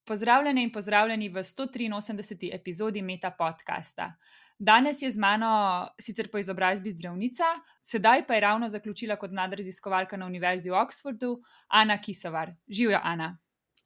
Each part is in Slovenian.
Pozdravljene in pozdravljeni v 183. epizodi Meta podcasta. Danes je z mano sicer po izobrazbi zdravnica, sedaj pa je ravno zaključila kot mlada raziskovalka na Univerzi v Oxfordu, Ana Kisovar. Živjo, Ana.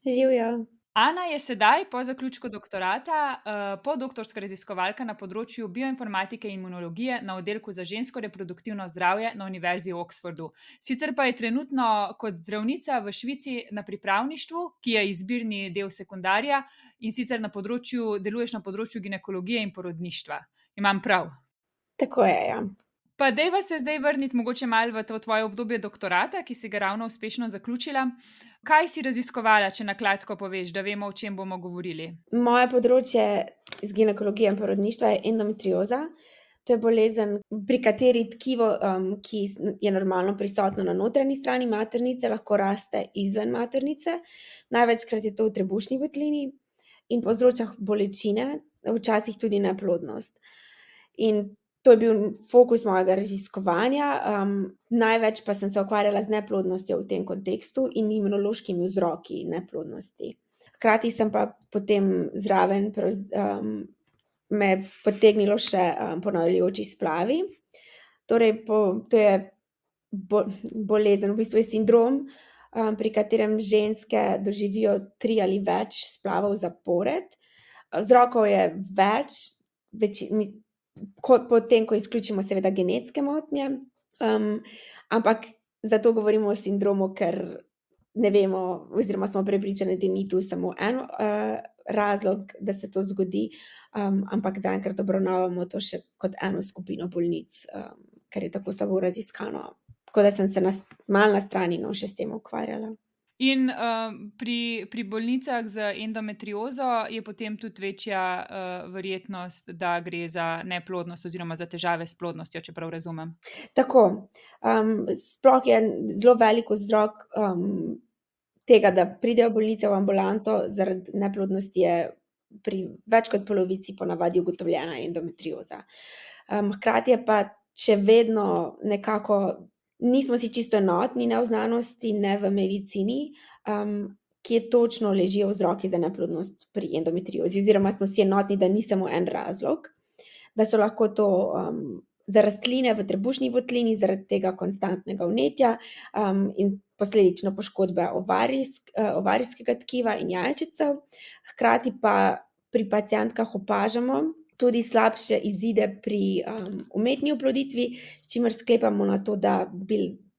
Živjo. Ana je sedaj po zaključku doktorata podoktorska raziskovalka na področju bioinformatike in imunologije na oddelku za žensko reproduktivno zdravje na Univerzi v Oxfordu. Sicer pa je trenutno kot zdravnica v Švici na pripravništvu, ki je izbirni del sekundarja, in sicer deluješ na področju ginekologije in porodništva. Imam prav? Tako je, ja. Pa dejva se zdaj vrniti mogoče malo v to tvoje obdobje doktorata, ki si ga ravno uspešno zaključila. Kaj si raziskovala, če na kratko poveš, da vemo, o čem bomo govorili? Moje področje iz ginekologije in porodništva je endometrioza. To je bolezen, pri kateri tkivo, ki je normalno prisotno na notranji strani maternice, lahko raste izven maternice. Največkrat je to v trebušni votlini in povzroča bolečine, včasih tudi neplodnost. In to je bil fokus mojega raziskovanja. Največ pa sem se ukvarjala z neplodnostjo v tem kontekstu in imunološkimi vzroki neplodnosti. Hkrati sem pa potem zraven me potegnilo še ponavljajoči splavi. Torej, to je bolezen, v bistvu je sindrom, pri katerem ženske doživijo 3 ali več splavov zapored. Vzrokov je več, potem, ko izključimo seveda genetske motnje, ampak zato govorimo o sindromu, ker ne vemo, oziroma smo prepričani, da ni tu samo en razlog, da se to zgodi, ampak zaenkrat obravnavamo to še kot eno skupino bolnic, ker je tako slabo raziskano. Tako da sem se malo na strani še s tem ukvarjala. In pri bolnicah z endometriozo je potem tudi večja verjetnost, da gre za neplodnost oziroma za težave s plodnostjo, če prav razumem. Tako. Sploh je zelo velik vzrok tega, da pridejo bolnice v ambulanto zaradi neplodnosti, je pri več kot polovici ponavadi ugotovljena endometrioza. Hkrati je pa še vedno nekako nismo si čisto enotni, ne v znanosti, ne v medicini, kje točno ležijo vzroki za neplodnost pri endometriozi, oziroma smo si enotni, da ni samo en razlog, da so lahko to za rastline v trebušni votlini zaradi tega konstantnega vnetja in posledično poškodbe ovarijskega tkiva in jajčecev. Hkrati pa pri pacientkah opažamo tudi slabše izide pri umetni oploditvi, s čimer sklepamo na to, da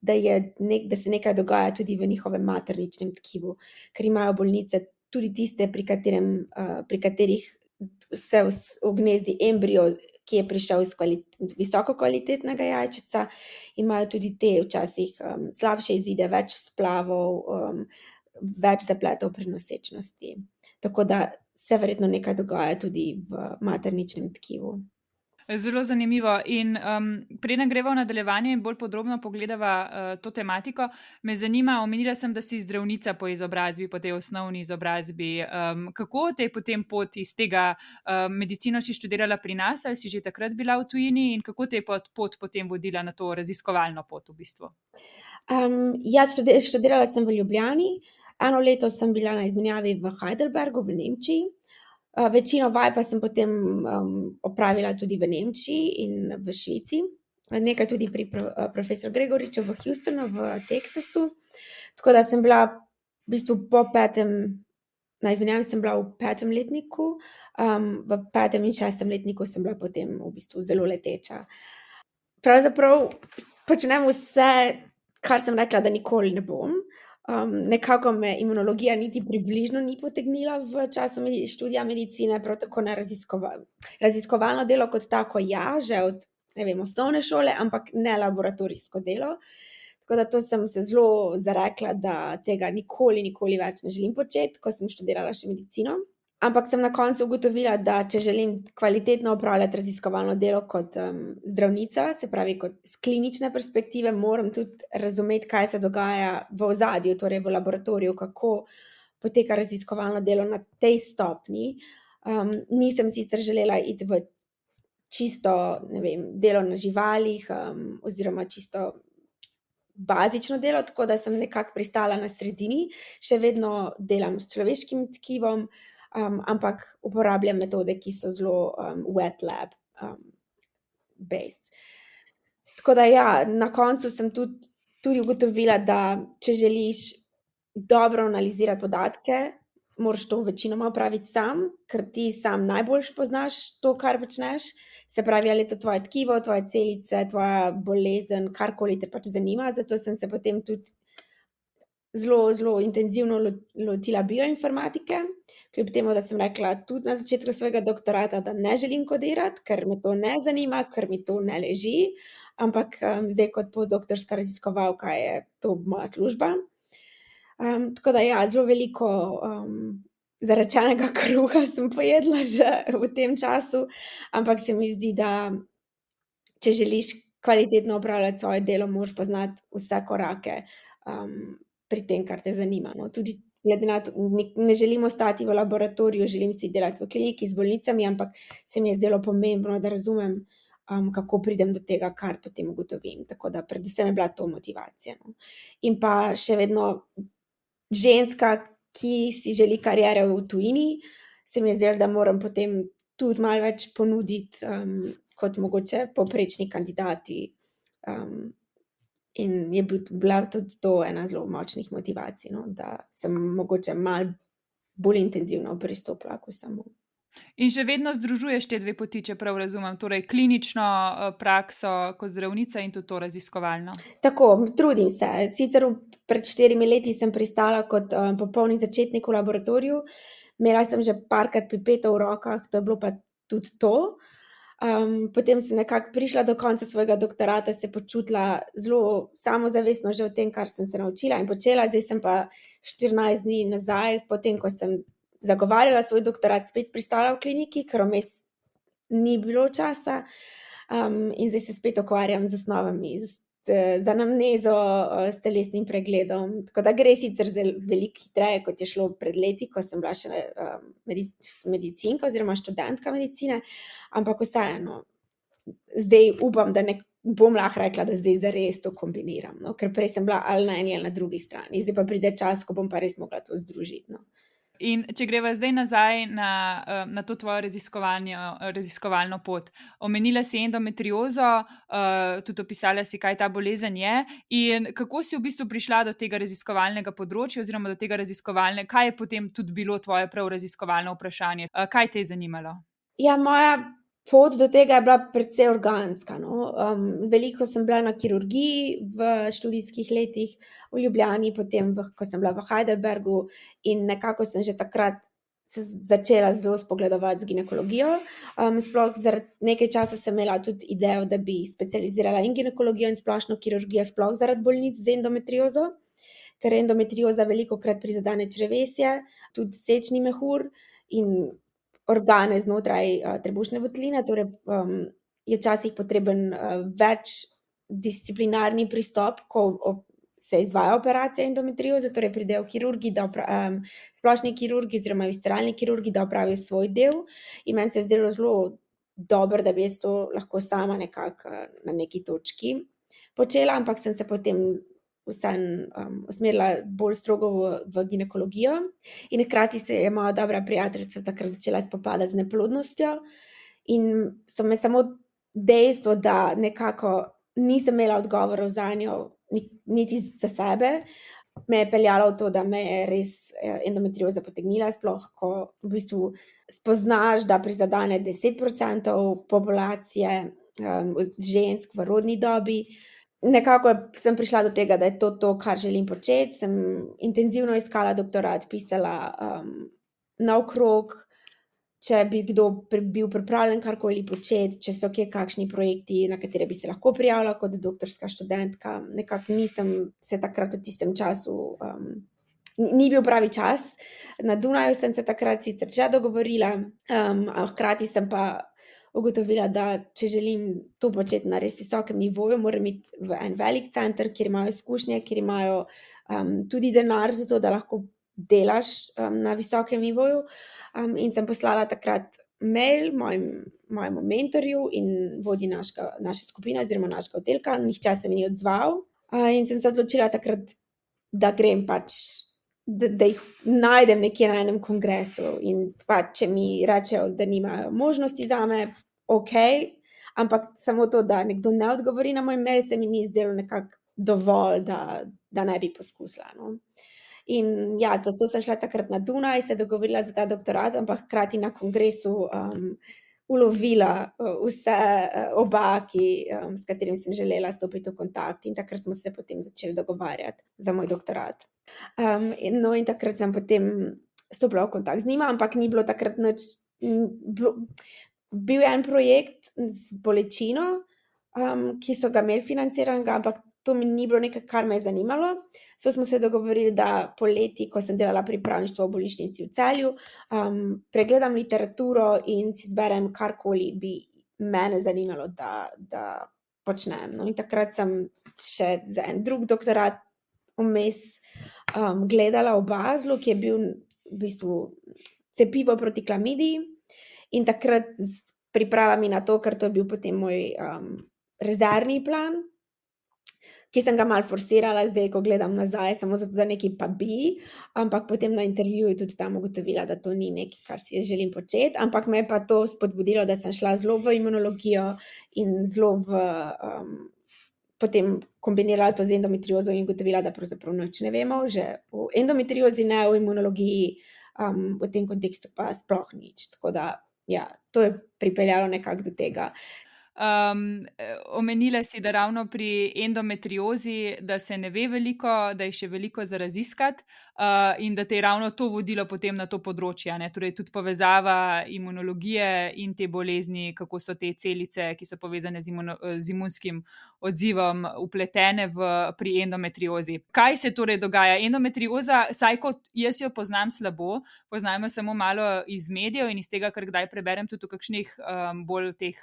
se nekaj dogaja tudi v njihovem materničnem tkivu, ker imajo bolnice tudi tiste, pri katerih se ugnezdi embrio, ki je prišel iz visoko kvalitetnega jajčeca, imajo tudi te včasih slabše izide, več splavov, več zapletov pri nosečnosti. Tako da se verjetno nekaj dogaja tudi v materničnem tkivu. Zelo zanimivo. In preden greva v nadaljevanje in bolj podrobno pogledava to tematiko, me zanima, omenila sem, da si zdravnica po izobrazbi, po tej osnovni izobrazbi. Kako te je potem pot iz tega, medicino si študirala pri nas, ali si že takrat bila v tujini, in kako te je pot potem vodila na to raziskovalno pot v bistvu? Študirala sem v Ljubljani. 1 leto sem bila na izmenjavi v Heidelbergu v Nemčiji. Večino vaj pa sem potem opravila tudi v Nemčiji in v Švici. Nekaj tudi pri profesor Gregoriču v Houstonu, v Teksasu. Tako da sem bila v bistvu na izmenjavi sem bila v 5. letniku, v 5. in 6. letniku sem bila potem v bistvu zelo leteča. Pravzaprav počnem vse, kar sem rekla, da nikoli ne bom. Nekako me imunologija niti približno ni potegnila v času študija medicine, prav tako ne raziskovalno delo kot tako, že od, osnovne šole, ampak ne laboratorijsko delo. Tako da to sem se zelo zarekla, da tega nikoli več ne želim početi, ko sem študirala še medicino. Ampak sem na koncu ugotovila, da če želim kvalitetno opravljati raziskovalno delo kot zdravnica, se pravi kot z klinične perspektive, moram tudi razumeti, kaj se dogaja v ozadju, torej v laboratoriju, kako poteka raziskovalno delo na tej stopnji. Nisem sicer želela iti v čisto, delo na živalih oziroma čisto bazično delo, tako da sem nekako pristala na sredini, še vedno delam s človeškim tkivom, ampak uporabljam metode, ki so zelo wet lab based. Tako da ja, na koncu sem tudi ugotovila, da če želiš dobro analizirati podatke, moraš to večinoma opraviti sam, ker ti sam najboljš poznaš to, kar počneš. Se pravi, ali je to tvoje tkivo, tvoje celice, tvoja bolezen, karkoli te pač zanima. Zato sem se potem tudi zelo intenzivno lotila bioinformatike, kljub temu, da sem rekla tudi na začetku svojega doktorata, da ne želim kodirati, ker me to ne zanima, ker mi to ne leži, ampak zdaj kot postdoktorska raziskovalka je to moja služba. Tako da ja, zelo veliko zarečenega kruha sem pojedla že v tem času, ampak se mi zdi, da če želiš kvalitetno opravljati svoje delo, moraš poznati vse korake pri tem, kar te zanima. No. Tudi glede na to, ne želim ostati v laboratoriju, želim si delati v kliniki z bolnicami, ampak se mi je zdelo pomembno, da razumem, kako pridem do tega, kar potem ugotovim. Tako da predvsem je bila to motivacija. No. In pa še vedno ženska, ki si želi kariere v tujini, se mi je zdelo, da moram potem tudi malo več ponuditi kot mogoče povprečni kandidati. In je bila tudi to ena zelo močnih motivacij, no, da sem mogoče malo bolj intenzivno pristopila k vsemu. In še vedno združuješ te dve poti, če prav razumem, torej klinično prakso kot zdravnica in tudi to raziskovalno. Tako, trudim se. Sicer pred 4 leti sem pristala kot popolni začetnik v laboratoriju. Imela sem že parkrat pipeto v rokah, to je bilo pa tudi to. Potem sem nekako prišla do konca svojega doktorata, se počutila zelo samozavestno že o tem, kar sem se naučila in počela. Zdaj sem pa 14 dni nazaj, potem ko sem zagovarjala svoj doktorat, spet pristala v kliniki, ker vmes ni bilo časa. In zdaj se spet ukvarjam z osnovami, z anamnezo, s telesnim pregledom. Tako da gre sicer veliko hitreje, kot je šlo pred leti, ko sem bila še medicinka oziroma študentka medicine, ampak vseeno, zdaj upam, da ne bom lahko rekla, da zdaj zares to kombiniram, no? Ker prej sem bila ali na eni ali na drugi strani. Zdaj pa pride čas, ko bom pa res mogla to združiti. No? In če greva zdaj nazaj na to tvojo raziskovalno pot. Omenila si endometriozo, tudi opisala si, kaj ta bolezen je. In kako si v bistvu prišla do tega raziskovalnega področja oziroma do tega kaj je potem tudi bilo tvoje prav raziskovalno vprašanje? Kaj te je zanimalo? Ja, moja pot do tega je bila precej organska. No. Veliko sem bila na kirurgiji v študijskih letih v Ljubljani, potem ko sem bila v Heidelbergu in nekako sem že takrat se začela zelo spogledovati z ginekologijo. Sploh zaradi nekaj časa sem imela tudi idejo, da bi specializirala in ginekologijo in splošno kirurgijo, sploh zaradi bolnic z endometriozo, ker endometrioza velikokrat prizadene črevesje, tudi sečni mehur in organe znotraj trebušne votline, torej je včasih potreben večdisciplinarni pristop, ko se izvaja operacija endometrioze, torej pridejo kirurgi, splošni kirurgi oziroma visceralni kirurgi, da opravijo svoj del. In meni se je zdelo zelo dobro, da bi jaz to lahko sama nekako na neki točki počela, ampak sem se potem usmerila bolj strogo v ginekologijo in hkrati se je moja dobra prijateljica takrat začela spopadati z neplodnostjo in so me samo dejstvo, da nekako nisem imela odgovorov zanjo, niti za sebe, me je peljalo v to, da me je res endometrioza potegnila, sploh ko v bistvu spoznaš, da prizadene 10% populacije žensk v rodni dobi. Nekako sem prišla do tega, da je to, kar želim početi. Sem intenzivno iskala doktorat, pisala naokrog, če bi kdo bil pripravljen karkoli početi, če so kje kakšni projekti, na katere bi se lahko prijavila kot doktorska študentka. Nekako nisem se takrat v tistem času, ni bil pravi čas. Na Dunaju sem se takrat sicer že dogovorila, a hkrati sem pa ugotovila, da če želim to početi na res visokem nivoju, moram iti v en velik center, kjer imajo izkušnje, kjer imajo tudi denar za to, da lahko delaš na visokem nivoju. In sem poslala takrat mail mojemu mentorju in vodji naše skupine oziroma našega oddelka. Nihče se mi ni odzval. In sem se odločila takrat, da grem pač, da jih najdem nekje na enem kongresu in pač, če mi rečejo, da nimajo možnosti zame, okej, ampak samo to, da nekdo ne odgovori na moj mail, se mi ni zdelo nekako dovolj, da ne bi poskusila, no. In ja, zato sem šla takrat na Dunaj, se dogovorila za ta doktorat, ampak hkrati na kongresu ulovila vse oba, s katerim sem želela stopiti v kontakt, in takrat smo se potem začeli dogovarjati za moj doktorat. No, in takrat sem potem stopila v kontakt z njima, ampak ni bilo takrat nič, bil je en projekt z bolečino, ki so ga imeli financiranega, ampak to mi ni bilo nekaj, kar me je zanimalo. So smo se dogovorili, da poleti, ko sem delala pripravništvo v bolnišnici v Celju, pregledam literaturo in si zberem karkoli bi mene zanimalo, da počnem. No, in takrat sem še za en drug doktorat vmes gledala v Baslu, ki je bil v bistvu cepivo proti klamidiji, in takrat s pripravami na to, ker to je bil potem moj rezervni plan, ki sem ga malo forsirala zdaj, ko gledam nazaj, samo zato, da nekaj pa bi, ampak potem na intervjuju tudi tam ugotovila, da to ni nekaj, kar si jaz želim početi, ampak me je pa to spodbudilo, da sem šla zelo v imunologijo in zelo potem kombinirala to z endometriozo in ugotovila, da pravzaprav nič ne vemo, že v endometriozi ne, v imunologiji, v tem kontekstu pa sploh nič. Tako da, ja, to je pripeljalo nekako do tega. Omenila si, da ravno pri endometriozi, da se ne ve veliko, da je še veliko za raziskati, in da te je ravno to vodilo potem na to področje, ne? Torej tudi povezava imunologije in te bolezni, kako so te celice, ki so povezane z imunskim odzivom, vpletene pri endometriozi. Kaj se torej dogaja? Endometrioza, saj kot jaz jo poznam slabo, poznam jo samo malo iz medijev in iz tega, kar kdaj preberem tudi v kakšnih bolj teh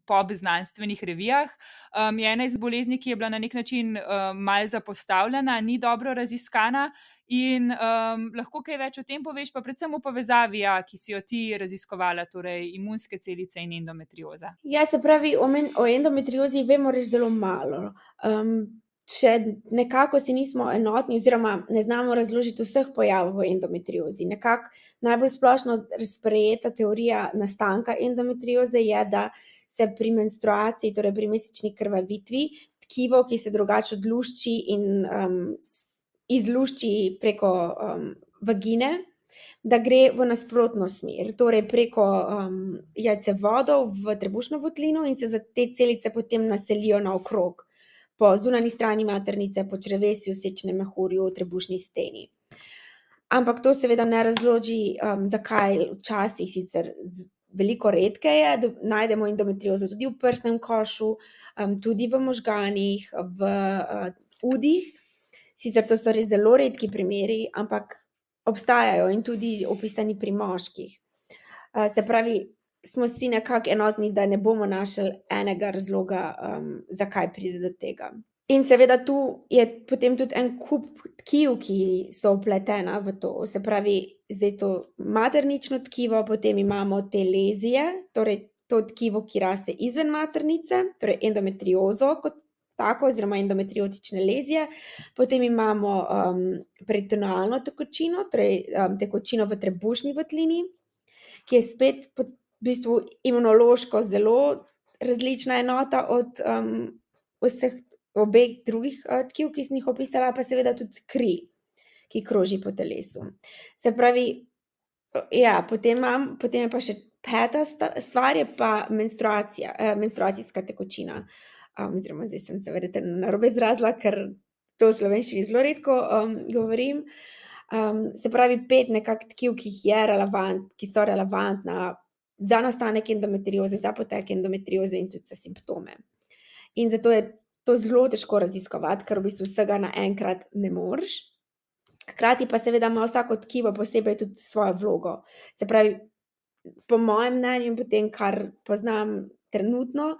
pop znanstvenih revijah, je ena iz bolezni, ki je bila na nek način malo zapostavljena, ni dobro raziskana, in lahko kaj več o tem poveš, pa predvsem v povezavi, ki si jo ti raziskovala, torej imunske celice in endometrioza. Ja, se pravi, o endometriozi vemo res zelo malo. Še nekako si nismo enotni oziroma ne znamo razložiti vseh pojavov v endometriozi. Nekako najbolj splošno sprejeta teorija nastanka endometrioze je, da se pri menstruaciji, torej pri mesečni krvavitvi, tkivo, ki se drugače odlušči in izlušči preko vagine, da gre v nasprotno smer, torej preko jajcevodov v trebušno votlino, in se te celice potem naselijo naokrog, po zunanji strani maternice, po črevesju, sečnem mehurju, trebušni steni. Ampak to seveda ne razloži, zakaj včasih sicer veliko redkeje najdemo endometriozo tudi v prsnem košu, tudi v možganih, v udih. Sicer to so res zelo redki primeri, ampak obstajajo in tudi opisani pri moških. Se pravi, smo si nekako enotni, da ne bomo našli enega razloga, zakaj pride do tega. In seveda tu je potem tudi en kup tkiv, ki so vpletena v to. Se pravi, zdaj to maternično tkivo, potem imamo te lezije, torej to tkivo, ki raste izven maternice, torej endometriozo kot tako, oziroma endometriotične lezije. Potem imamo peritonealno tekočino, torej tekočino v trebušni votlini, ki je spet v bistvu imunološko zelo različna enota od vseh obeh drugih tkiv, ki sem jih opisala, pa seveda tudi kri, ki kroži po telesu. Se pravi, ja, potem je pa še peta stvar, je pa menstruacijska tekočina. Oziroma zdaj sem se verjetno narobe izrazila, ker to v slovenščini zelo redko govorim. Se pravi, 5 nekako tkiv, ki so relevantna za nastanek endometrioze, za potek endometrioze in tudi za simptome. In zato je to zelo težko raziskovati, ker v bistvu vsega naenkrat ne moreš. Hkrati pa seveda ima vsako tkivo posebej tudi svojo vlogo. Se pravi, po mojem mnenju in po tem, kar poznam trenutno,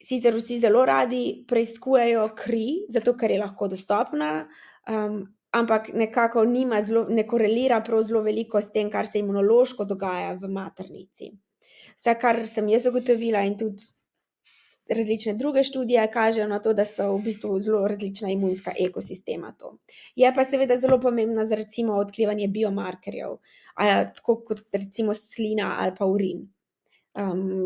sicer vsi zelo radi preiskujejo kri, zato ker je lahko dostopna, ampak nekako ne korelira prav zelo veliko s tem, kar se imunološko dogaja v maternici. Vse, kar sem jaz ugotovila in tudi različne druge študije kažejo na to, da so v bistvu zelo različna imunska ekosistema to. Je pa seveda zelo pomembna za recimo odkrivanje biomarkerjev, tako kot recimo slina ali pa urin.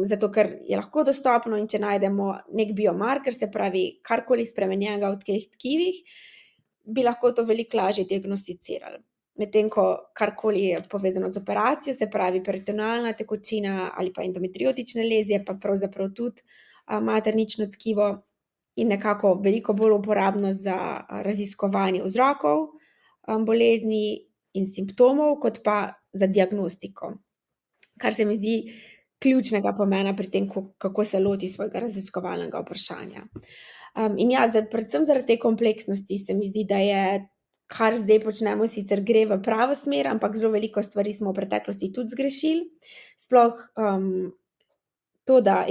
Zato, ker je lahko dostopno in če najdemo nek biomarker, se pravi karkoli spremenjenega v teh tkivih, bi lahko to veliko lažje diagnosticirali. Medtem ko karkoli je povezano z operacijo, se pravi peritonealna tekočina ali pa endometriotične lezije, pa pravzaprav tudi maternično tkivo in nekako veliko bolj uporabno za raziskovanje vzrokov bolezni in simptomov, kot pa za diagnostiko. Kar se mi zdi ključnega pomena pri tem, kako se loti svojega raziskovalnega vprašanja. In ja, predvsem zaradi te kompleksnosti se mi zdi, da je, kar zdaj počnemo, sicer gre v pravo smer, ampak zelo veliko stvari smo v preteklosti tudi zgrešili. Sploh to, da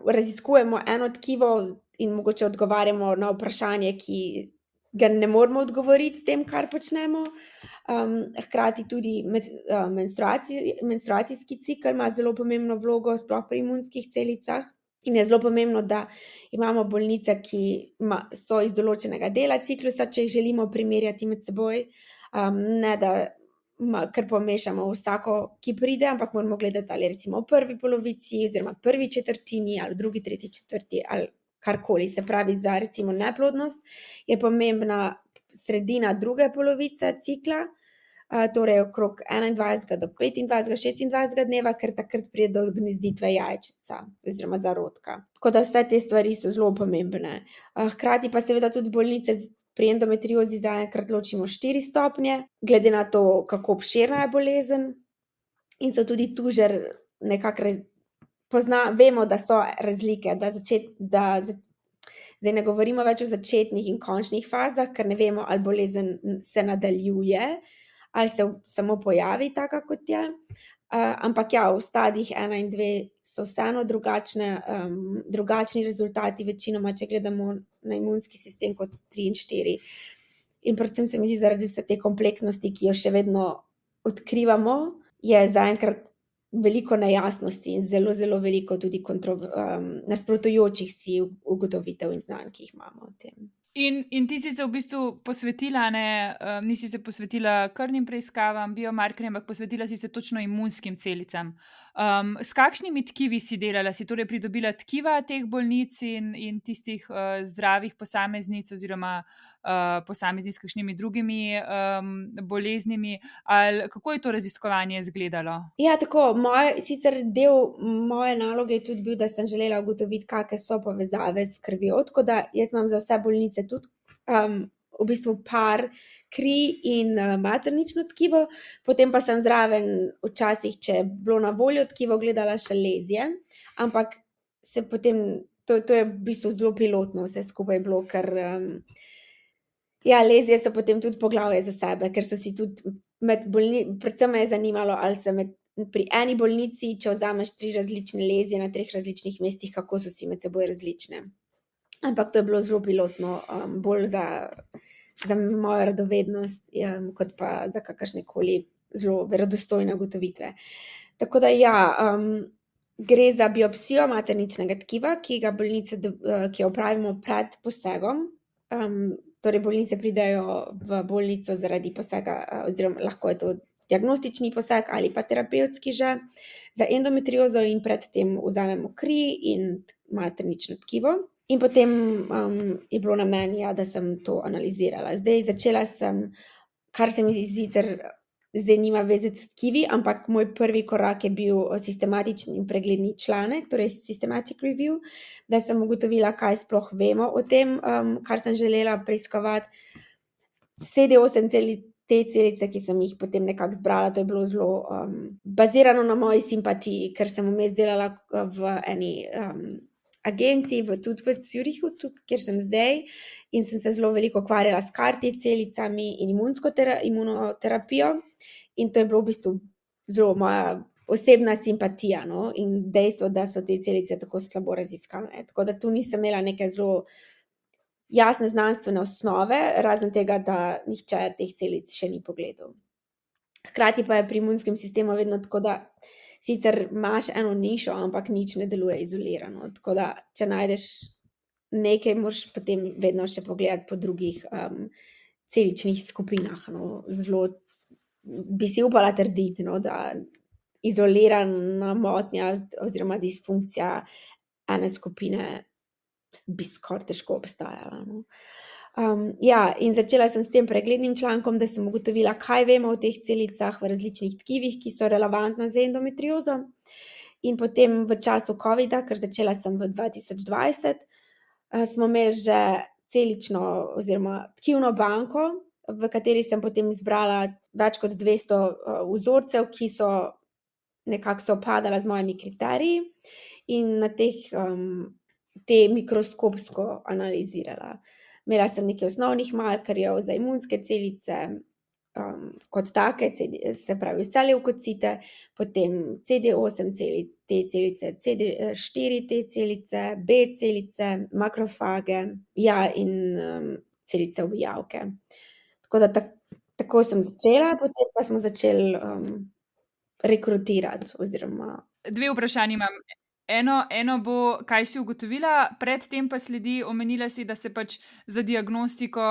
raziskujemo eno tkivo in mogoče odgovarjamo na vprašanje, ki ga ne moremo odgovoriti s tem, kar počnemo. Hkrati tudi menstruacijski cikel ima zelo pomembno vlogo, sploh pri imunskih celicah. In je zelo pomembno, da imamo bolnice, ki so iz določenega dela ciklusa, če jih želimo primerjati med seboj, ne da kar pomešamo vsako, ki pride, ampak moramo gledati ali recimo v prvi polovici oziroma prvi četrtini ali drugi, tretji, četrti ali karkoli. Se pravi, za recimo neplodnost je pomembna sredina druge polovice cikla, torej okrog 21 do 25, 26 dneva, ker takrat pride do gnezditve jajčica oziroma zarodka. Tako da vse te stvari so zelo pomembne. Hkrati pa seveda tudi bolnice pri endometriozi zaenkrat ločimo 4 stopnje, glede na to, kako obširna je bolezen, in so tudi tu že nekako vemo, da so razlike, zdaj ne govorimo več o začetnih in končnih fazah, ker ne vemo, ali bolezen se nadaljuje ali se samo pojavi taka, kot je. Ampak ja, v stadijih 1 in 2 so vseeno drugačni rezultati, večinoma, če gledamo na imunski sistem, kot 3 in 4. In predvsem se mi zdi, zaradi vse te kompleksnosti, ki jo še vedno odkrivamo, je zaenkrat veliko nejasnosti in zelo, zelo veliko tudi nasprotujočih si ugotovitev in znanj, ki jih imamo o tem. In ti si se v bistvu posvetila, nisi se posvetila krvnim preiskavam, biomarkerjem, ampak posvetila si se točno imunskim celicam. S kakšnimi tkivi si delala? Si torej pridobila tkiva teh bolnic in tistih zdravih posameznic oziroma posameznic s kakšnimi drugimi boleznimi? Ali kako je to raziskovanje izgledalo? Ja, tako, sicer del moje naloge je tudi bil, da sem želela ugotoviti, kakšne so povezave s krvjo, tako da jaz imam za vse bolnice tudi v bistvu par kri in maternično tkivo, potem pa sem zraven včasih, če je bilo na voljo tkivo, gledala še lezije, ampak se potem, to je v bistvu zelo pilotno vse skupaj bilo, ker lezije so potem tudi poglavje za sebe, ker so si tudi predvsem me je zanimalo, ali se pri eni bolnici, če vzameš 3 različne lezije na 3 različnih mestih, kako so si med seboj različne. Ampak to je bilo zelo pilotno, bolj za mojo radovednost, kot pa za kakršnekoli zelo verodostojne ugotovitve. Tako da gre za biopsijo materničnega tkiva, ki jo opravimo pred posegom. Torej bolnice pridejo v bolnico zaradi posega, oziroma lahko je to diagnostični poseg ali pa terapevtski že, za endometriozo, in predtem vzamemo kri in maternično tkivo. In potem je bilo na meni, da sem to analizirala. Zdaj začela sem, kar se mi sicer zdaj nima veze s tkivi, ampak moj prvi korak je bil sistematični in pregledni članek, torej systematic review, da sem ugotovila, kaj sploh vemo o tem, kar sem želela preiskovati. CD8 te celice, ki sem jih potem nekako zbrala, to je bilo zelo bazirano na moji simpatiji, ker sem vmes delala v eni agenciji, tudi v Zürichu, kjer sem zdaj, in sem se zelo veliko ukvarjala s CAR-T celicami in imunoterapijo, in to je bilo v bistvu zelo moja osebna simpatija, no? In dejstvo, da so te celice tako slabo raziskane. Tako da tu nisem imela neke zelo jasne znanstvene osnove, razen tega, da nihče teh celic še ni pogledal. Hkrati pa je pri imunskem sistemu vedno tako, da sicer imaš eno nišo, ampak nič ne deluje izolirano. Tako da, če najdeš nekaj, moraš potem vedno še pogledati po drugih celičnih skupinah. No. Zelo bi si upala trditi, no, da izolirana motnja oziroma disfunkcija ene skupine bi skoraj težko obstajala. No. In začela sem s tem preglednim člankom, da sem ugotovila, kaj vemo o teh celicah v različnih tkivih, ki so relevantna za endometriozo. In potem v času covida, ker začela sem v 2020, smo imeli že celično oziroma tkivno banko, v kateri sem potem izbrala več kot 200 vzorcev, ki so nekako sovpadala z mojimi kriteriji in na te mikroskopsko analizirala. Imela sem nekaj osnovnih markerjev za imunske celice, kot take, se pravi vse levkocite, potem CD8 T celice, CD4 T celice, B celice, makrofage, in celice ubijavke. Tako da tako sem začela, potem pa smo začeli rekrutirati oziroma. 2 vprašanji imam. Eno bo, kaj si ugotovila, predtem pa sledi, omenila si, da se pač za diagnostiko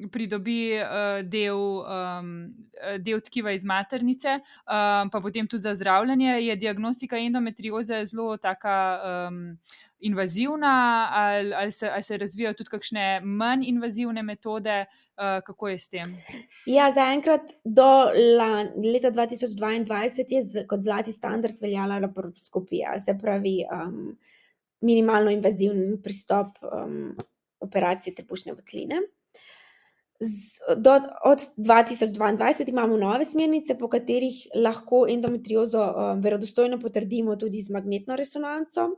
pridobi del tkiva iz maternice, pa potem tudi za zdravljenje. Je diagnostika endometrioze zelo taka invazivna ali se razvijajo tudi kakšne manj invazivne metode? Kako je s tem? Ja, zaenkrat do leta 2022 je kot zlati standard veljala laparoskopija, se pravi minimalno invazivni pristop operacije trebušne votline. Od 2022 imamo nove smernice, po katerih lahko endometriozo verodostojno potrdimo tudi z magnetno resonanco,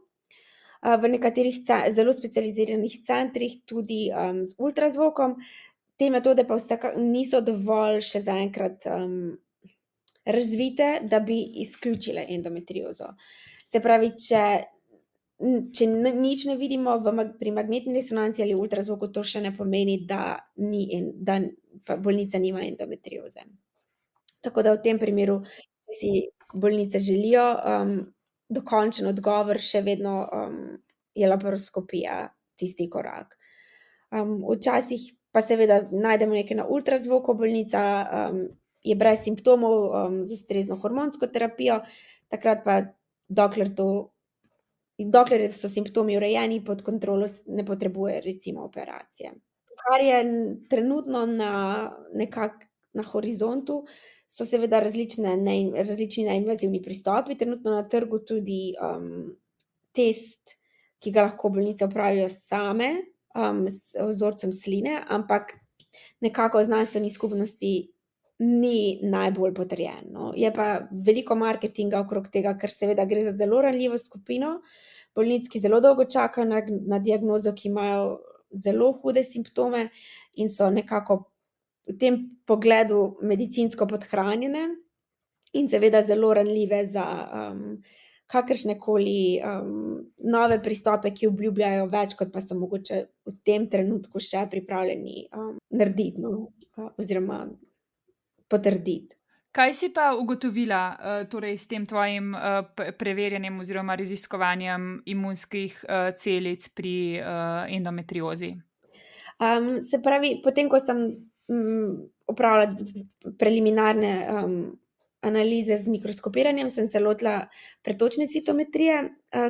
v nekaterih zelo specializiranih centrih tudi z ultrazvokom. Te metode pa niso dovolj še zaenkrat razvite, da bi izključile endometriozo. Se pravi, če nič ne vidimo pri magnetni resonanci ali ultrazvoku, to še ne pomeni, da bolnica nima endometrioze. Tako da v tem primeru, če si bolnice želijo dokončen odgovor, še vedno je laparoskopija tisti korak. Včasih pa seveda najdemo nekaj na ultrazvoku, bolnica je brez simptomov z ustrezno hormonsko terapijo, takrat pa dokler so simptomi urejeni, pod kontrolo, ne potrebuje recimo operacije. Kar je trenutno nekako na horizontu, so seveda različni neinvazivni pristopi, trenutno na trgu tudi test, ki ga lahko bolnice opravijo same, z vzorcem sline, ampak nekako v znanstveni skupnosti ni najbolj potrjen. No. Je pa veliko marketinga okrog tega, ker seveda gre za zelo ranljivo skupino bolnic, ki zelo dolgo čakajo na diagnozo, ki imajo zelo hude simptome in so nekako v tem pogledu medicinsko podhranjene in seveda zelo ranljive za kakršnekoli nove pristope, ki obljubljajo več, kot pa so mogoče v tem trenutku še pripravljeni narediti, no, oziroma potrditi. Kaj si pa ugotovila torej s tem tvojim preverjanjem oziroma raziskovanjem imunskih celic pri endometriozi? Se pravi, potem ko sem opravila preliminarne analize z mikroskopiranjem, sem se lotila pretočne citometrije,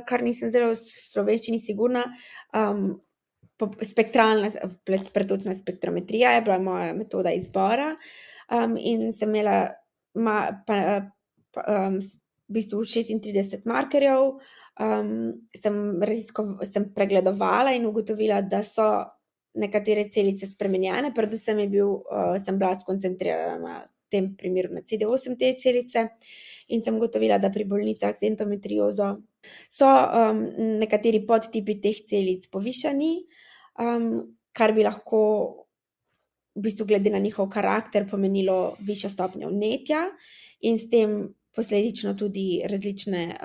kar nisem zelo v slovenščini sigurna. Spektralna pretočna spektrometrija je bila moja metoda izbora in sem imela v bistvu 36 markerjev, sem pregledovala in ugotovila, da so nekatere celice spremenjene, predvsem sem bila skoncentrirana na tem primeru na CD8 T celice in sem ugotovila, da pri bolnicah z endometriozo so nekateri podtipi teh celic povišani, kar bi lahko v bistvu glede na njihov karakter pomenilo višjo stopnjo vnetja in s tem posledično tudi različne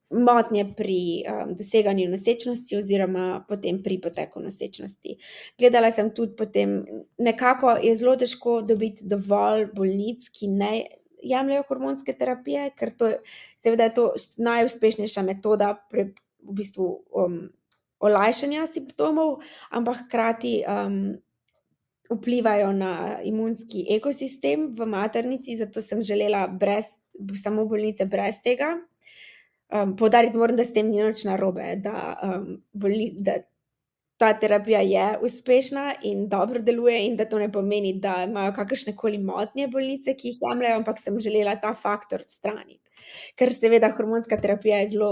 motnje pri doseganju nosečnosti oziroma potem pri poteku nosečnosti. Gledala sem tudi potem, nekako je zelo težko dobiti dovolj bolnic, ki jemljejo hormonske terapije, ker seveda je to najuspešnejša metoda v bistvu olajšanja simptomov, ampak hkrati vplivajo na imunski ekosistem v maternici, zato sem želela samo bolnice brez tega. Poudariti moram, da s tem ni nič narobe, da ta terapija je uspešna in dobro deluje in da to ne pomeni, da imajo kakršnekoli motnje bolnice, ki jih jemljejo, ampak sem želela ta faktor odstraniti. Ker seveda hormonska terapija je zelo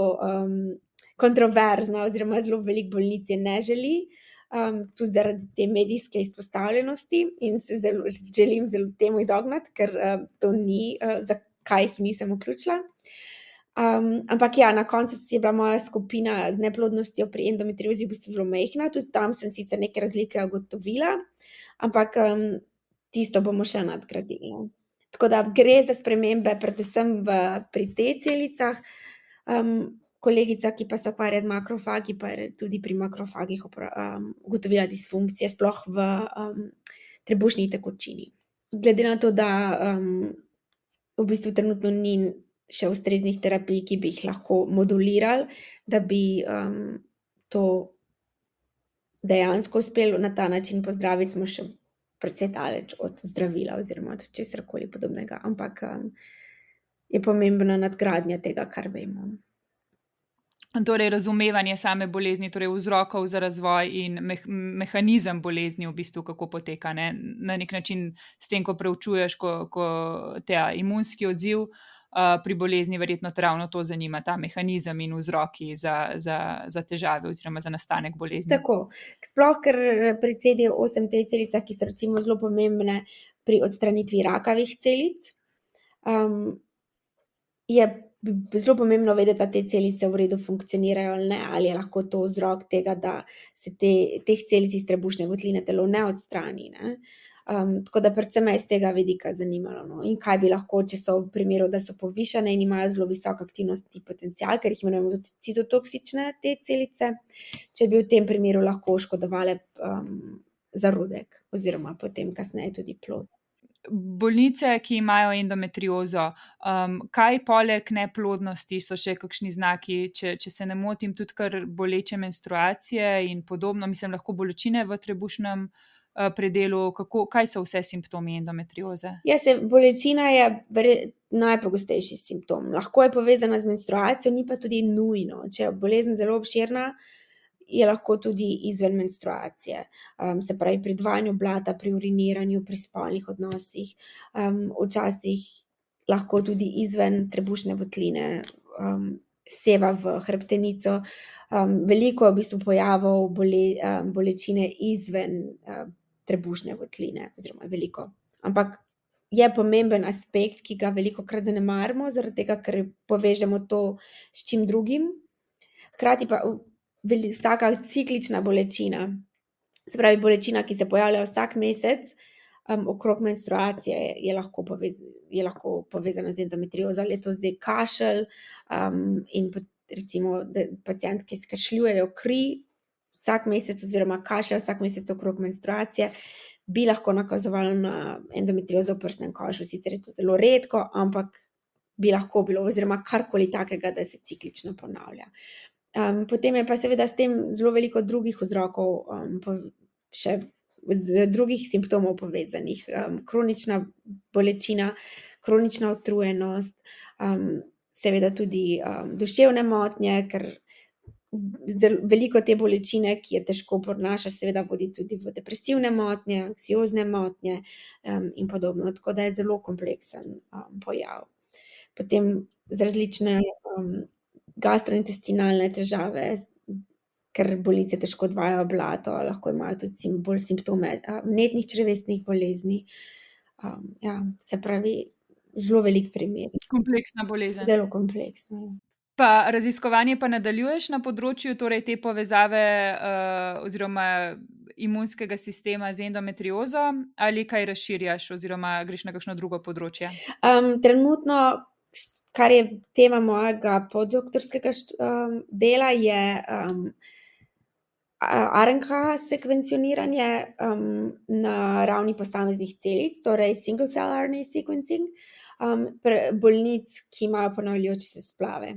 kontroverzna oziroma zelo veliko bolnic je ne želi, tudi zaradi te medijske izpostavljenosti in se želim temu izogniti, ker to ni, zakaj jih nisem vključila. Ampak ja, na koncu je bila moja skupina z neplodnostjo pri endometriozi v bistvu zelo majhna, tudi tam sem sicer neke razlike ugotovila, ampak tisto bomo še nadgradili. Tako da gre za spremembe predvsem pri T-celicah. Kolegica, ki pa se ukvarja z makrofagi, pa je tudi pri makrofagih ugotovila disfunkcije, sploh v trebušni tekočini. Glede na to, da v bistvu trenutno ni še ustreznih terapij, ki bi jih lahko modulirali, da bi to dejansko uspelo na ta način pozdraviti, smo še precej daleč od zdravila oziroma od česarkoli podobnega, ampak je pomembna nadgradnja tega, kar vemo. Torej, razumevanje same bolezni, torej vzrokov za razvoj in mehanizem bolezni v bistvu, kako poteka, ne? Na nek način s tem, ko preučuješ, ko te imunski odziv pri bolezni, verjetno te ravno to zanima, ta mehanizem in vzroki za težave oziroma za nastanek bolezni. Tako, sploh ker pri CD8 T-celicah, ki so recimo zelo pomembne pri odstranitvi rakavih celic, je zelo pomembno vedeti, da te celice v redu funkcionirajo ali ne, ali je lahko to vzrok tega, da se teh celic iz trebušne votline telo ne odstrani, ne. Tako da predvsem me je iz tega vidika zanimalo, no. In kaj bi lahko, če so v primeru, da so povišane in imajo zelo visok aktivnostni potencial, ker jih imenujemo tudi citotoksične te celice, če bi v tem primeru lahko škodovale zarodek oziroma potem kasneje tudi plod. Bolnice, ki imajo endometriozo, kaj poleg neplodnosti so še kakšni znaki, če se ne motim, tudi kar boleče menstruacije in podobno, mislim, lahko bolečine v trebušnem predelu, kaj so vse simptomi endometrioze? Ja, bolečina je najpogostejši simptom. Lahko je povezana z menstruacijo, ni pa tudi nujno. Če je bolezen zelo obširna, je lahko tudi izven menstruacije. Se pravi pri odvajanju blata, pri uriniranju, pri spolnih odnosih. Včasih lahko tudi izven trebušne votline seva v hrbtenico. Veliko je v bistvu pojavov bolečine izven trebušne votline, oziroma veliko. Ampak je pomemben aspekt, ki ga velikokrat zanemarimo, zaradi tega, ker povežemo to s čim drugim. Hkrati pa taka ciklična bolečina, se pravi bolečina, ki se pojavlja vsak mesec okrog menstruacije, je lahko povezana z endometriozo, ali je to zdaj kašelj in recimo pacientke skašljujejo kri vsak mesec oziroma kašljajo vsak mesec okrog menstruacije, bi lahko nakazovalo na endometriozo v prsnem košu. Sicer je to zelo redko, ampak bi lahko bilo, oziroma karkoli takega, da se ciklično ponavlja. Potem je pa seveda s tem zelo veliko drugih vzrokov, še drugih simptomov povezanih. Kronična bolečina, kronična utrujenost, seveda tudi duševne motnje, ker veliko te bolečine, ki je težko prenašaš, seveda vodi tudi v depresivne motnje, anksiozne motnje in podobno. Tako da je zelo kompleksen pojav. Potem z različne gastrointestinalne težave, ker bolnice težko odvajajo blato, lahko imajo tudi bolj simptome vnetnih črevesnih bolezni. Ja, se pravi, zelo velik primer. Kompleksna bolezen. Zelo kompleksna. Pa raziskovanje pa nadaljuješ na področju torej te povezave oziroma imunskega sistema z endometriozo, ali kaj razširjaš oziroma greš na kakšno drugo področje? Trenutno, kar je tema mojega podoktorskega dela, je RNK sekvencioniranje na ravni posameznih celic, torej single cell RNA sequencing. bolnic, ki imajo ponavljajoče se splave.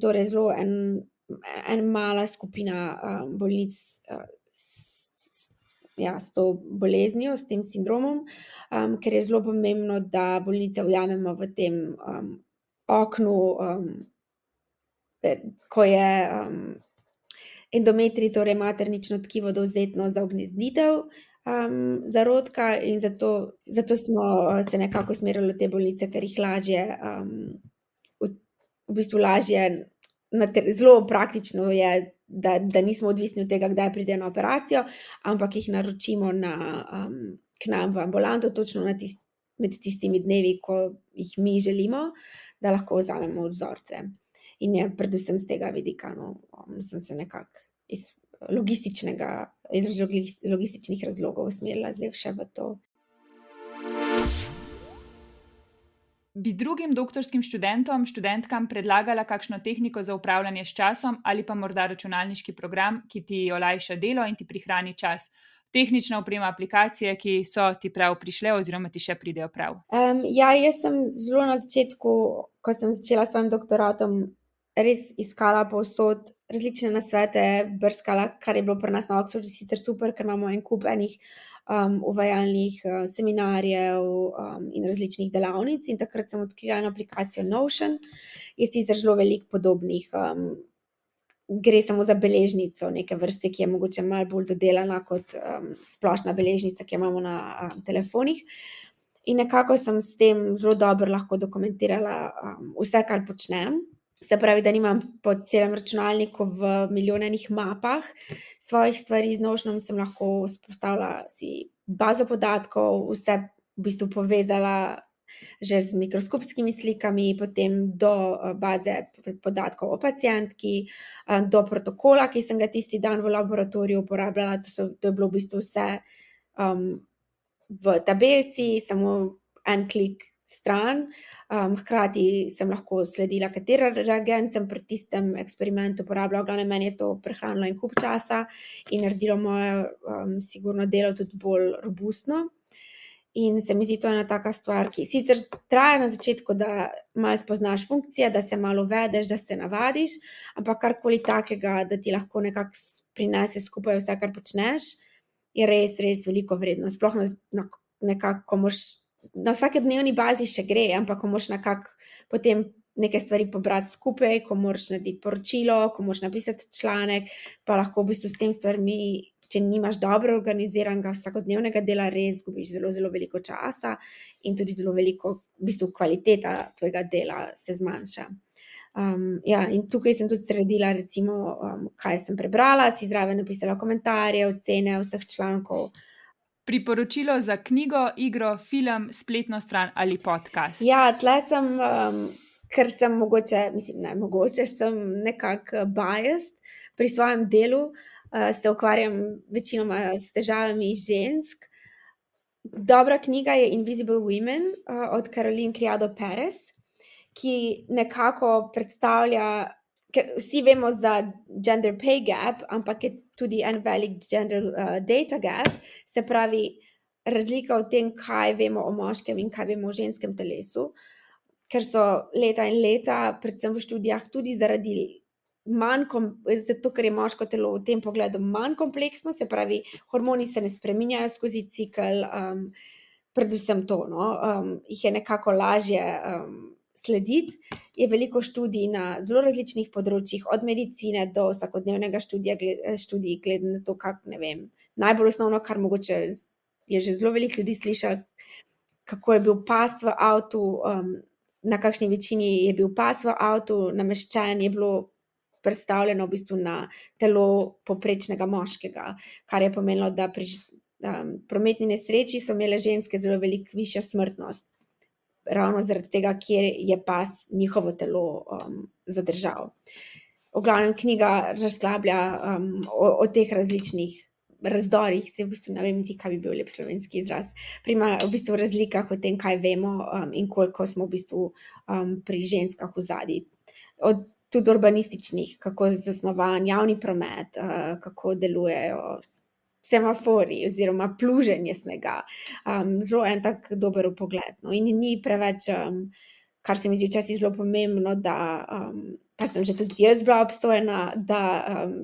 Torej zelo en mala skupina bolnic s to boleznijo, s tem sindromom, ker je zelo pomembno, da bolnice ujamemo v tem oknu, ko je endometrij, torej maternično tkivo, dovzetno za ugnezditev zarodka, in zato smo se nekako usmerili v te bolnice, ker jih lažje, v bistvu lažje, zelo praktično je, da nismo odvisni od tega, kdaj pridejo na operacijo, ampak jih naročimo k nam v ambulanto, točno med tistimi dnevi, ko jih mi želimo, da lahko vzamemo vzorce. In je predvsem z tega vidika, sem se nekako iz logističnih razlogov usmerila zdaj še v to. Bi drugim doktorskim študentom, študentkam predlagala kakšno tehniko za upravljanje s časom ali pa morda računalniški program, ki ti olajša delo in ti prihrani čas? Tehnična oprema, aplikacije, ki so ti prav prišle oziroma ti še pridejo prav. Jaz sem zelo na začetku, ko sem začela s svojim doktoratom, res iskala povsod različne nasvete, brskala, kar je bilo pri nas na Oxfordu sicer super, ker imamo en kup enih uvajalnih seminarjev in različnih delavnic, in takrat sem odkrila eno aplikacijo Notion. Je sicer zelo veliko podobnih, gre samo za beležnico neke vrste, ki je mogoče malo bolj dodelana kot splošna beležnica, ki jo imamo na telefonih. In nekako sem s tem zelo dobro lahko dokumentirala vse, kar počnem. Se pravi, da nimam po celem računalniku v milijonenih mapah svojih stvari. Z Notionom sem lahko vzpostavila si bazo podatkov, vse v bistvu povezala že z mikroskopskimi slikami, potem do baze podatkov o pacientki, do protokola, ki sem ga tisti dan v laboratoriju uporabljala. To je bilo v bistvu vse v tabelci, samo en klik stran. Hkrati sem lahko sledila, katera reagent sem pri tistem eksperimentu uporabljala. V glavnem, meni je to prehranilo en kup časa in naredilo moje sigurno delo tudi bolj robustno. In se mi zdi to ena taka stvar, ki sicer traja na začetku, da malo spoznaš funkcije, da se malo uvedeš, da se navadiš, ampak karkoli takega, da ti lahko nekako prinese skupaj vse, kar počneš, je res, res veliko vredno. Sploh nekako, ko moraš na vsakodnevni bazi še gre, ampak ko moraš nekako potem neke stvari pobrati skupaj, ko moraš narediti poročilo, ko moraš napisati članek, pa lahko v bistvu s tem stvarmi, če nimaš dobro organiziranega vsakodnevnega dela, res izgubiš zelo, zelo veliko časa in tudi zelo veliko, v bistvu kvaliteta tvojega dela se zmanjša. In tukaj sem tudi sredila, recimo, kaj sem prebrala, si zraven napisala komentarje, ocene vseh člankov. Priporočilo za knjigo, igro, film, spletno stran ali podcast? Tle sem, ker sem sem nekako biased pri svojem delu, se ukvarjam večinoma s težavami žensk. Dobra knjiga je Invisible Women od Caroline Criado Perez, ki nekako predstavlja, ker vsi vemo za gender pay gap, ampak je tudi en velik gender data gap, se pravi razlika v tem, kaj vemo o moškem in kaj vemo o ženskem telesu, ker so leta in leta, predvsem v študijah, tudi zato, ker je moško telo v tem pogledu manj kompleksno, se pravi, hormoni se ne spreminjajo skozi cikel, predvsem to, jih je nekako lažje slediti. Je veliko študij na zelo različnih področjih, od medicine do vsakodnevnega študij, glede na to, najbolj osnovno, kar mogoče je že zelo veliko ljudi slišalo, kako je bil pas v avtu, na kakšni večini je bil pas v avtu nameščen, je bilo predstavljeno v bistvu na telo povprečnega moškega, kar je pomenilo, da pri prometni nesreči so imele ženske zelo veliko višjo smrtnost, ravno zaradi tega, kjer je pas njihovo telo zadržal. V glavnem, knjiga razglablja o teh različnih razdorih, v bistvu ne vem niti, kaj bi bil lep slovenski izraz, pri v bistvu razlikah o tem, kaj vemo in koliko smo v bistvu pri ženskah ozadij. Tudi urbanističnih, kako je zasnovan javni promet, kako delujejo semafori oziroma pluženje snega. Zelo en tak dober vpogled, no, in ni preveč, kar se mi zdi včasih zelo pomembno, da, pa sem že tudi jaz bila obsojena, da,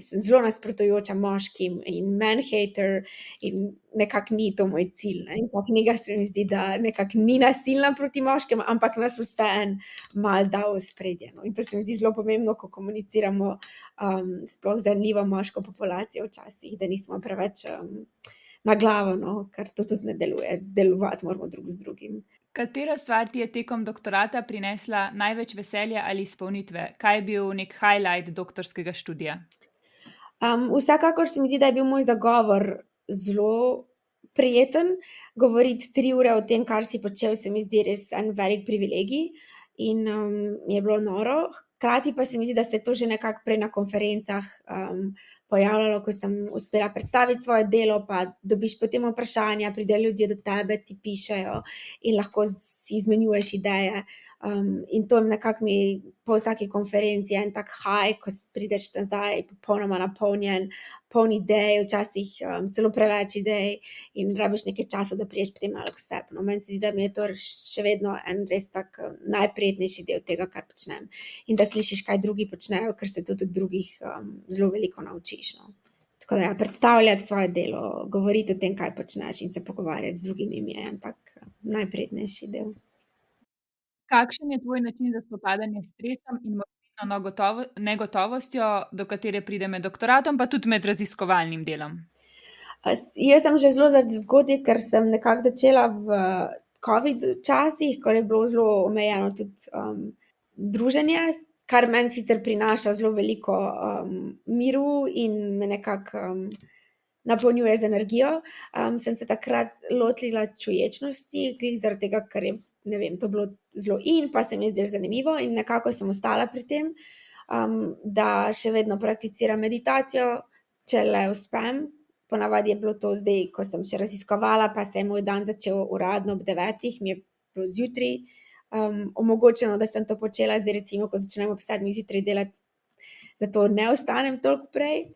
sem zelo nasprotujoča moškim in man hater in nekako ni to moj cilj, ne. In ta knjiga se mi zdi, da nekako ni nasilna proti moškim, ampak nas vseeno malo da v ospredje, no, in to se mi zdi zelo pomembno, ko komuniciramo, sploh z ranljivo moško populacijo včasih, da nismo preveč, na glavo, no, ker to tudi ne deluje. Delovati moramo drug z drugim. Katera stvar ti je tekom doktorata prinesla največ veselja ali izpolnitve? Kaj je bil nek highlight doktorskega študija? Vsekakor se mi zdi, da je bil moj zagovor zelo prijeten. Govoriti 3 ure o tem, kar si počel, se mi zdi res en velik privilegij in, mi je bilo noro. Hkrati pa se mi zdi, da se je to že nekako prej na konferencah, pojavljalo, ko sem uspela predstaviti svoje delo, pa dobiš potem vprašanja, pridejo ljudje do tebe, ti pišejo in lahko si izmenjuješ ideje. In to nekako mi po vsaki konferenci je en tak high, ko prideš nazaj popolnoma napolnjen, poln idej, včasih, celo preveč idej in rabiš nekaj časa, da prideš potem malo k sebi, no. Meni se zdi, da mi je to še vedno en res tak, najprijetnejši del tega, kar počnem. In da slišiš, kaj drugi počnejo, ker se tudi od drugih, zelo veliko naučiš, no. Tako da ja, predstavljati svoje delo, govoriti o tem, kaj počneš in se pogovarjati z drugimi mi je en tak najprijetnejši del. Kakšen je tvoj način za spopadanje s stresom in morebitno negotovostjo, do katere pride med doktoratom, pa tudi med raziskovalnim delom? Jaz sem že zelo zgodaj, ker sem nekako začela v covid časih, ko je bilo zelo omejeno tudi, druženje, kar meni sicer prinaša zelo veliko, miru in me nekako, napolnjuje z energijo. Sem se takrat lotila čuječnosti, glih zaradi tega, ker je, ne vem, to bilo zelo in pa se mi je zdelo zanimivo in nekako sem ostala pri tem, da še vedno prakticiram meditacijo, če le uspem. Ponavadi je bilo to zdaj, ko sem še raziskovala, pa se je moj dan začel uradno ob 9, mi je bilo zjutraj, omogočeno, da sem to počela. Zdaj recimo, ko začnem ob 7 zjutraj delati, zato ne vstanem toliko prej,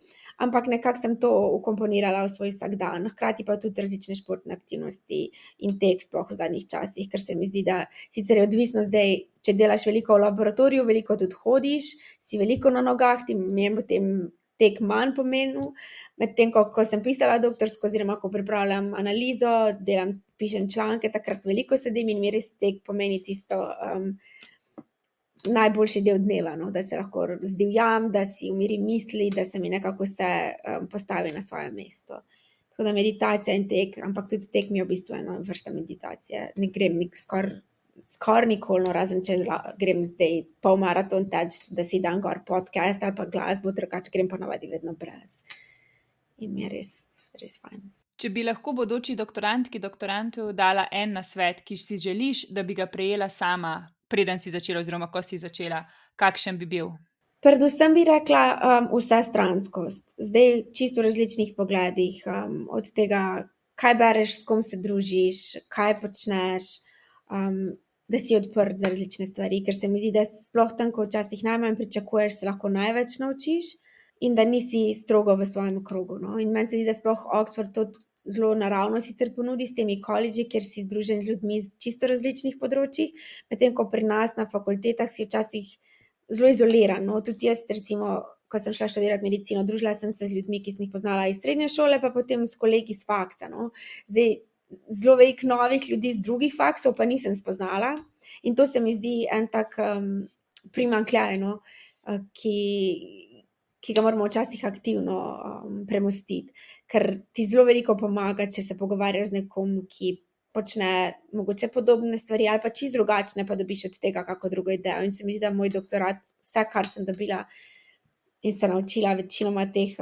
ampak nekako sem to vkomponirala v svoj vsakdan. Hkrati pa tudi različne športne aktivnosti in tek, sploh v zadnjih časih, ker se mi zdi, da sicer je odvisno zdaj, če delaš veliko v laboratoriju, veliko tudi hodiš, si veliko na nogah, mi je potem tek manj pomenil, medtem ko sem pisala doktorsko oziroma ko pripravljam analizo, pišem članke, takrat veliko sedim in mi res tek pomeni tisto, najboljši del dneva, no, da se lahko zdivjam, da si umirim misli, da se mi nekako vse, postavi na svoje mesto. Tako da meditacija in tek, ampak tudi tek mi je v bistvu ena vrsta meditacije. Ne grem skoraj nikoli, no, razen če grem zdaj polmaraton teč, da si dam gor podcast ali pa glasbo, drugače grem ponavadi vedno brez. In mi je res, res fajn. Če bi lahko bodoči doktorantki, doktorantu dala en nasvet, ki si želiš, da bi ga prejela sama, preden si začela oziroma ko si začela, kakšen bi bil? Predvsem bi rekla, vsestranskost. Zdaj čisto v različnih pogledih, od tega, kaj bereš, s kom se družiš, kaj počneš, da si odprt za različne stvari, ker se mi zdi, da sploh tam, ko včasih najmanj pričakuješ, se lahko največ naučiš in da nisi strogo v svojem krogu, no. In meni se zdi, da sploh Oxford to zelo naravno sicer ponudi s temi kolidži, kjer si združen z ljudmi z čisto različnih področij, medtem ko pri nas na fakultetah si včasih zelo izoliran, no. Tudi jaz recimo, ko sem šla študirati medicino, družila sem se z ljudmi, ki sem jih poznala iz srednje šole, pa potem s kolegi s faksa, no. Zdaj zelo veliko novih ljudi z drugih faksov pa nisem spoznala in to se mi zdi en tak, primanjkljaj, no, ki ga moramo včasih aktivno, premostiti, ker ti zelo veliko pomaga, če se pogovarjaš z nekom, ki počne mogoče podobne stvari ali pa čisto drugačne, pa dobiš od tega kako drugo idejo. In se mi zdi, da moj doktorat, vse, kar sem dobila in se naučila, večinoma teh,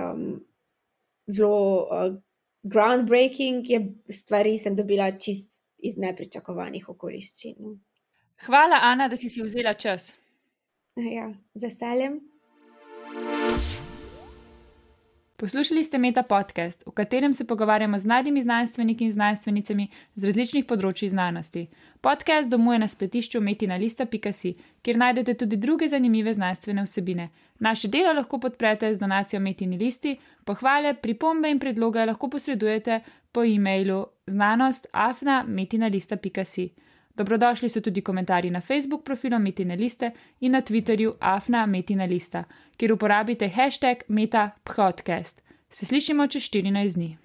zelo, groundbreaking stvari sem dobila čisto iz nepričakovanih okoliščin. Hvala, Ana, da si vzela čas. Ja, z veseljem. Poslušali ste Meta podcast, v katerem se pogovarjamo z mladimi znanstveniki in znanstvenicami z različnih področji znanosti. Podcast domuje na spletišču metinalista.si, kjer najdete tudi druge zanimive znanstvene vsebine. Naše delo lahko podprete z donacijo Metini listi, pohvale, pripombe in predloge lahko posredujete po e-mailu znanost@metinalista.si. Dobrodošli so tudi komentarji na Facebook profilu Metine liste in na Twitterju @metinalista, kjer uporabite hashtag #metapodcast. Se slišimo čez 14 dni.